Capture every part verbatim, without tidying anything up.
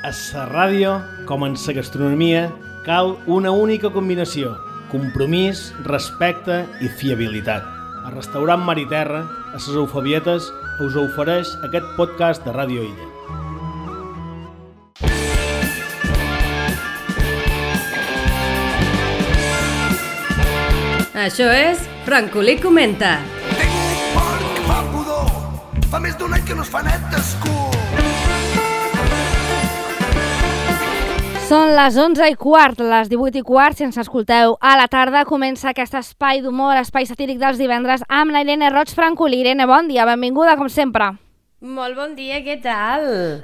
A la ràdio, com en la gastronomia, cal una única combinació: compromís, respecte i fiabilitat. El restaurant Mar i Terra, a les Eufabietes, us ofereix aquest podcast de Ràdio Illa. Això és Francolí Comenta. Tinc un porc que fa pudor, fa més d'un any que no es fa net d'escur. Són les onze i quart, les divuit i quart, si ens escolteu a la tarda, comença aquest espai d'humor, espai satíric dels divendres, amb la Irene Roig Francolí. Irene, bon dia, benvinguda, com sempre. Molt bon dia, què tal?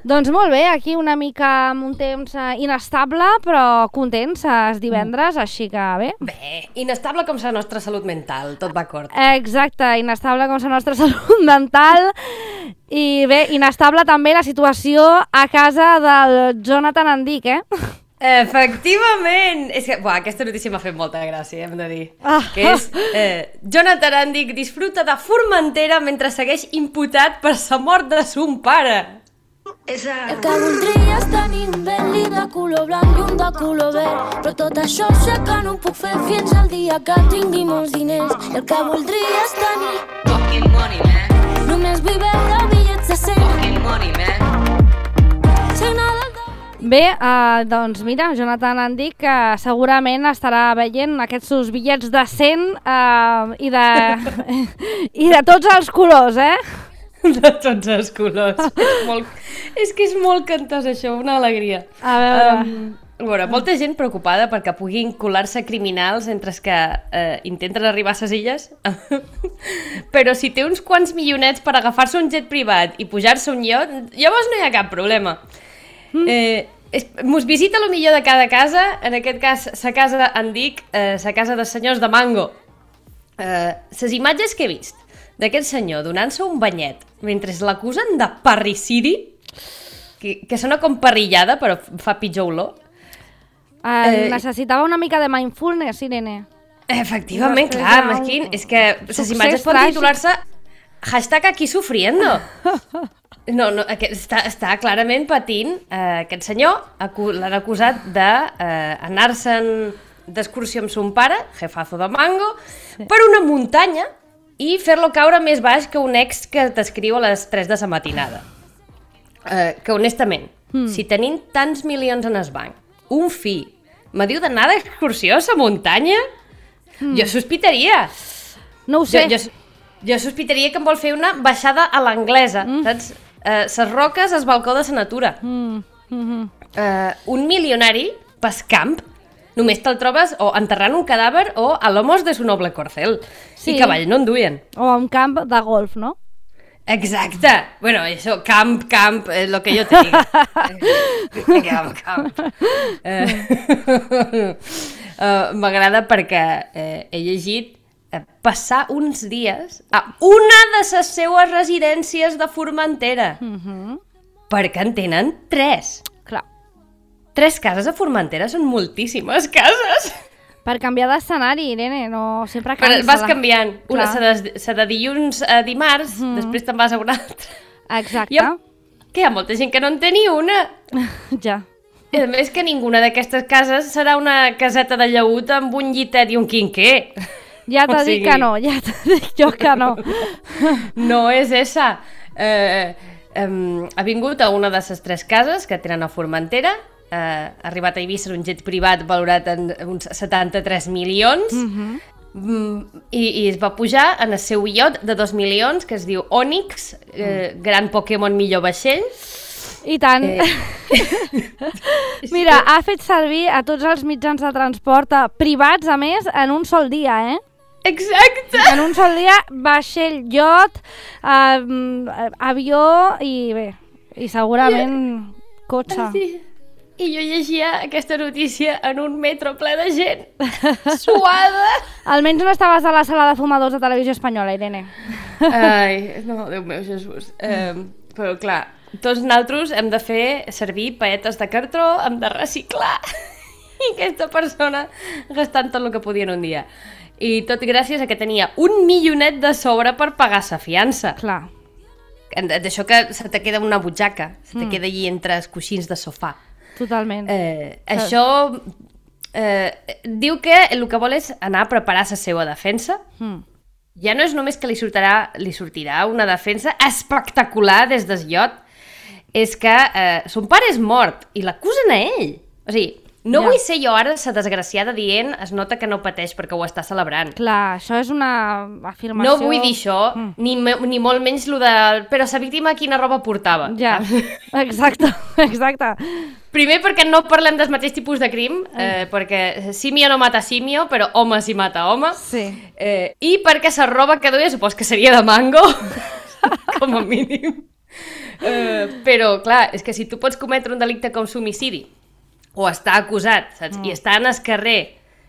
Doncs molt bé, aquí una mica amb un temps inestable, però contents, és divendres, així que bé. Bé, inestable com la nostra salut mental, tot va acord. Exacte, inestable com la nostra salut mental, i bé, inestable també la situació a casa del Jonathan Andic, eh? Efectivament! És que, buah, aquesta notícia m'ha fet molta gràcia, hem de dir. Ah. Que és, eh, Jonathan Andic disfruta de Formentera mentre segueix imputat per la mort de son pare. Esa... El que voldria és tenir un belli de color blanc i un de color verd, però tot això sé que no ho puc fer fins al dia que tingui molts diners. El que voldria és tenir Fucking money, man. només vull veure bitllets de cent. Fucking money, man. Signar del Bé, eh, doncs mira, Jonathan Andic que segurament estarà veient aquests seus bitllets de cent eh, i, de, i de tots els colors, eh? De tots els colors. És, molt, és que és molt cantós això, una alegria. A veure... Um, a veure, molta gent preocupada perquè puguin colar-se criminals entre els que eh, intenten arribar a ses illes. Però si té uns quants milionets per agafar-se un jet privat i pujar-se un iot, llavors no hi ha cap problema. Mm. Eh, es, mos visita lo millor de cada casa, en aquest cas sa casa d'Andic, eh, sa casa dels senyors de Mango. Eh, ses imatges que he vist d'aquest senyor donant-se un banyet mentre l'acusen de parricidi, que, que sona com parrillada però fa pitjor olor. Eh, Eh, necessitava una mica de mindfulness, Irene. Efectivament, Després clar, ja- Mesquín, és que ses Succés imatges poden tràgic. titular-se hashtag aquí sufriendo. No, no, aquest, està, està clarament patint eh, aquest senyor, acu l'han acusat d'anar-se'n eh, d'excursió amb son pare, jefazo de Mango, sí. per una muntanya i fer-lo caure més baix que un ex que t'escriu a les tres de la matinada. Eh, que honestament, mm. si tenim tants milions en el banc, un fill, me diu d'anar d'excursió a la muntanya, mm. jo sospitaria. No ho sé. Jo, jo, jo sospitaria que em vol fer una baixada a l'anglesa, mm. saps? Eh, ses roques, el balcó de la natura. Mm. Mm-hmm. Eh, un milionari pas camp, només te'l trobes o enterrant un cadàver o a lomos de su noble corcel. Sí. I cavall no en duien. O a un camp de golf, no? Exacte. Bueno, això, camp, camp, eh, lo que jo te diga. eh, camp, camp. Eh, uh, M'agrada perquè eh, he llegit eh, passar uns dies a una de les seues residències de Formentera. Mm-hmm. Perquè en tenen tres. Clar. Tres cases a Formentera són moltíssimes cases. Per canviar d'escenari, Irene, no sempre Però cansa. vas canviant. Una Clar. se de, se de dilluns a dimarts, mm. després te'n vas a una altra. Exacte. I ha, que hi ha molta gent que no en té ni una. Ja. I a més que ninguna d'aquestes cases serà una caseta de llaüt amb un llitet i un quinquer. Ja t'ha O sigui... dit que no, ja t'ha dit jo que no. No és esa. Eh, eh, ha vingut a una de les tres cases que tenen a Formentera, eh, ha arribat a Eivissa en un jet privat valorat en uns setanta-tres milions, Mm-hmm. mm, i, i es va pujar en el seu iot de dos milions, que es diu Onyx, eh, gran Pokémon millor vaixell. I tant. Eh. Mira, ha fet servir a tots els mitjans de transport eh, privats, a més, en un sol dia, eh? Exacte! En un sol dia, vaixell, iot, eh, avió i bé, i segurament cotxe. Sí. I jo llegia aquesta notícia en un metro ple de gent, suada. Almenys no estaves a la sala de fumadors de Televisió Espanyola, Irene. Ai, no, Déu meu, Jesús. Eh, però clar, tots nosaltres hem de fer servir paetes de cartró, hem de reciclar. I aquesta persona gastant tot el que podia en un dia. I tot gràcies a que tenia un milionet de sobre per pagar sa fiança. Clar. D'això que se te queda una butxaca, se te Mm. queda allí entre els coixins de sofà. Totalment. Eh, això eh, diu que el que vol és anar a preparar la seva defensa. Mm. Ja no és només que li sortirà, li sortirà una defensa espectacular des del iot, és que eh, son pare és mort i l'acusen a ell. O sigui, no ja. vull ser jo ara la desgraciada dient es nota que no pateix perquè ho està celebrant. Clar, això és una afirmació... No vull dir això, mm. ni, ni molt menys lo de... Però la víctima quina roba portava. Ja, exacte, exacte. Primer perquè no parlem del mateix tipus de crim, eh, perquè símio no mata símio, però home sí mata home. Sí. Eh, I perquè la roba que duia supos que seria de mango, com a mínim. Eh, però, clar, és que si tu pots cometre un delicte com l'homicidi, o estar acusat, saps? Mm. I estar en el carrer,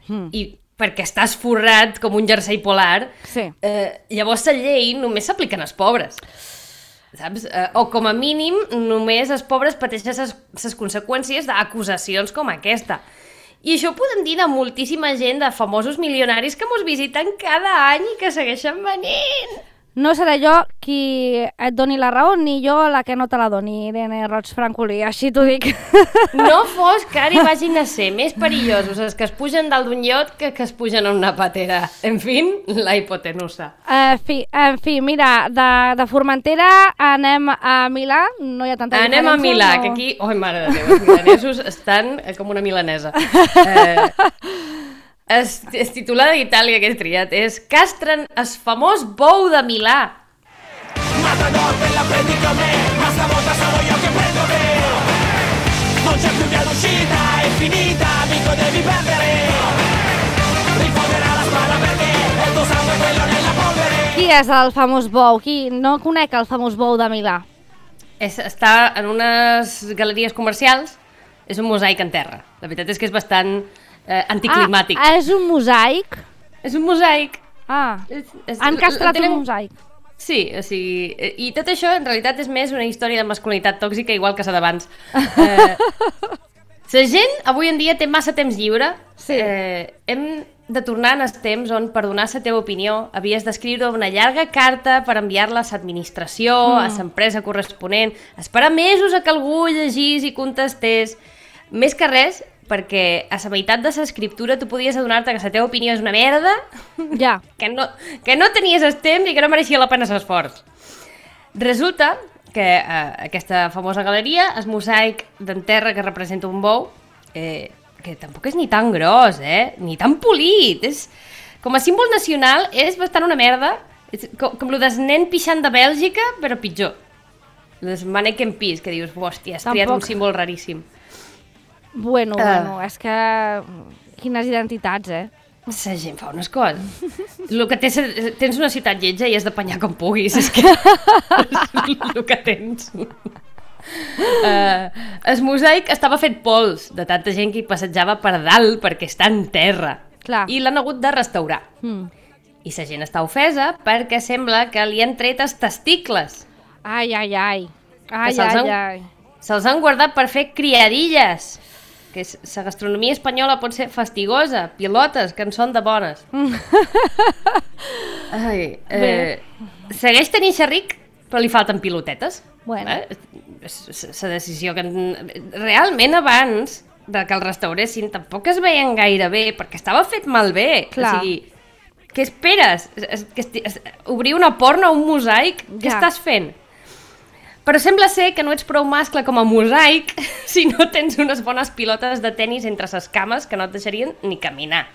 mm. i perquè estàs forrat com un jersei polar, sí. eh, llavors la llei només s'aplica als pobres. Saps? Eh, o com a mínim només els pobres pateixen les conseqüències d'acusacions com aquesta. I això ho podem dir de moltíssima gent, de famosos milionaris que mos visiten cada any i que segueixen venint. No seré jo qui et doni la raó, ni jo la que no te la doni, Irene Roig Francolí, així t'ho dic. No fos que ara hi vagin a ser més perillosos els que es pugen dalt d'un iot que que es pugen en una patera. En fi, la hipotenusa. En fi, en fi, mira, de, de Formentera anem a Milà, no hi ha tanta anem diferència. Anem a Milà, no... que aquí, oi mare de Déu, els milanesos estan com una milanesa. Eh... Es, es titular d'Itàlia que he triat és Castren el famós bou de Milà. Matador, te la prendi con me, ma stavolta sono io che prendo te. Non c'è più via d'uscita, è finita, amico devi perdere. Rifonderà la spada perché è il tuo sangue quello nella polvere. Qui és el famós bou? Qui no conec el famós bou de Milà? És, està en unes galeries comercials, és un mosaic en terra. La veritat és que és bastant... Eh, anticlimàtic. Ah, és un mosaic? És un mosaic. Ah, és, és, han castrat tenen... un mosaic. Sí, o sigui, i tot això en realitat és més una història de masculinitat tòxica igual que la d'abans. Eh, la gent avui en dia té massa temps lliure. Sí. Eh, hem de tornar en els temps on per donar la teva opinió havies d'escriure una llarga carta per enviar-la a l'administració, mm. a l'empresa corresponent, esperar mesos a que algú llegís i contestés. Més que res, perquè a la meitat de l'escriptura tu podies adonar-te que la teva opinió és una merda, ja. que, no, que no tenies el temps i que no mereixia la pena l'esforç. Resulta que eh, aquesta famosa galeria, el mosaic d'en terra que representa un bou, eh, que tampoc és ni tan gros, eh? Ni tan polit, és, com a símbol nacional és bastant una merda, és com, com el del nen pixant de Bèlgica, però pitjor. El del mannequin pis, que dius, hòstia, has triat un símbol raríssim. Bueno, uh, bueno, és que... Quines identitats, eh? La gent fa unes coses. El que tens, tens una ciutat lletja i has d'apanyar com puguis, és que... el que tens. Uh, el mosaic estava fet pols de tanta gent que hi passejava per dalt perquè està en terra. Clar. I l'han hagut de restaurar. Mm. I la gent està ofesa perquè sembla que li han tret els testicles. Ai, ai, ai. Ai, ai, han, ai. Se'ls han guardat per fer criadilles. Que la gastronomia espanyola pot ser fastigosa, pilotes, que en són de bones. Ai, eh, segueix tenint xerric, però li falten pilotetes. Bueno. Eh? La decisió que... Realment abans de que el restauressin tampoc es veien gaire bé, perquè estava fet malbé. Clar. O sigui, què esperes? Que obrir una porno a un mosaic? Ja. Què estàs fent? Però sembla ser que no ets prou mascle com a mosaic si no tens unes bones pilotes de tennis entre les cames que no et deixarien ni caminar.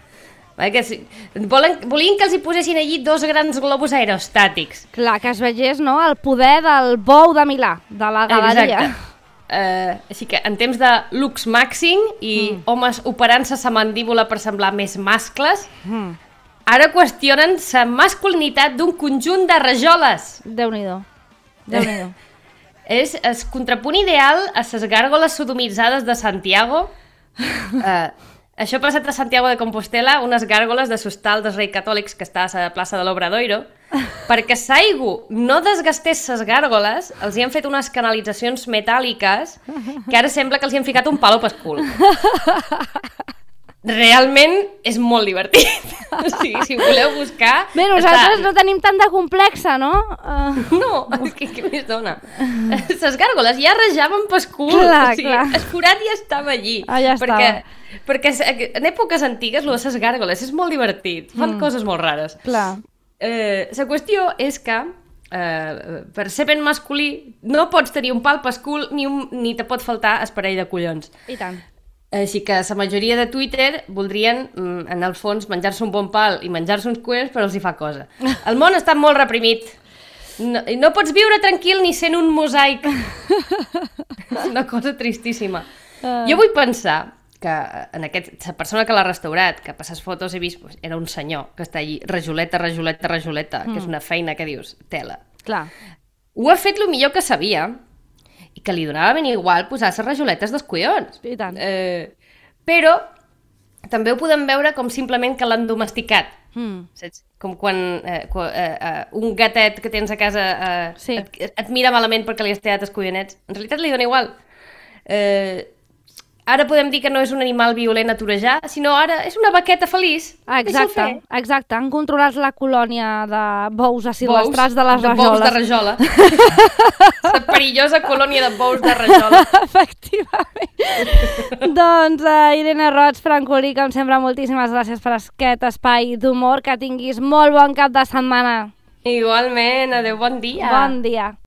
Que si, volen, volien que els hi posessin allí dos grans globus aerostàtics. Clar, que es vegés, no?, el poder del bou de Milà, de la galeria. Exacte. Uh, així que en temps de lux màxim i mm. homes operant-se la mandíbula per semblar més mascles, mm. ara qüestionen la masculinitat d'un conjunt de rajoles. Déu-n'hi-do. Déu-n'hi-do. És el contrapunt ideal a les gàrgoles sodomitzades de Santiago. Uh, això ha passat a Santiago de Compostela, unes gàrgoles de l'hostal dels Reis Catòlics que està a la plaça de l'Obradoiro. Perquè s'aigua no desgastés les gàrgoles, els hi han fet unes canalitzacions metàl·liques que ara sembla que els hi han ficat un palo pel cul. realment és molt divertit. O sigui, si voleu buscar... Bé, nosaltres està... no tenim tant de complexa, no? Uh... No, què, què més dona? Les gàrgoles ja rajaven pel cul. Clar, o sigui, clar. el forat ja estava allí. Ah, ja perquè, estava. perquè en èpoques antigues, lo de les gàrgoles és molt divertit. Fan mm. coses molt rares. Clar. Eh, la qüestió és que eh, per ser ben masculí no pots tenir un pal pel cul ni, un, ni te pot faltar el parell de collons. I tant. Així que la majoria de Twitter voldrien, en el fons, menjar-se un bon pal i menjar-se uns collons, però els hi fa cosa. El món està molt reprimit. No, no pots viure tranquil ni sent un mosaic. És una cosa tristíssima. Uh. Jo vull pensar que en aquest, la persona que l'ha restaurat, que per les fotos he vist, pues, era un senyor que està allí, rajoleta, rajoleta, rajoleta, mm. que és una feina que dius, tela. Clar. Ho ha fet el millor que sabia, i que li donava ben igual posar les rajoletes dels collons. I tant. Eh, però també ho podem veure com simplement que l'han domesticat. Mm. Saps? Com quan, eh, quan eh, eh, un gatet que tens a casa eh, sí. et, et mira malament perquè li has tallat els collonets. En realitat li dona igual. Eh, ara podem dir que no és un animal violent a torejar, sinó ara és una vaqueta feliç. Ah, exacte, exacte. Han controlat la colònia de bous asilvestrats de les de rajoles. Bous de rajola. La perillosa colònia de bous de rajola. Efectivament. Doncs, uh, Irene Roig, Francolí, com sempre, moltíssimes gràcies per aquest espai d'humor. Que tinguis molt bon cap de setmana. Igualment, adeu, bon dia. Bon dia.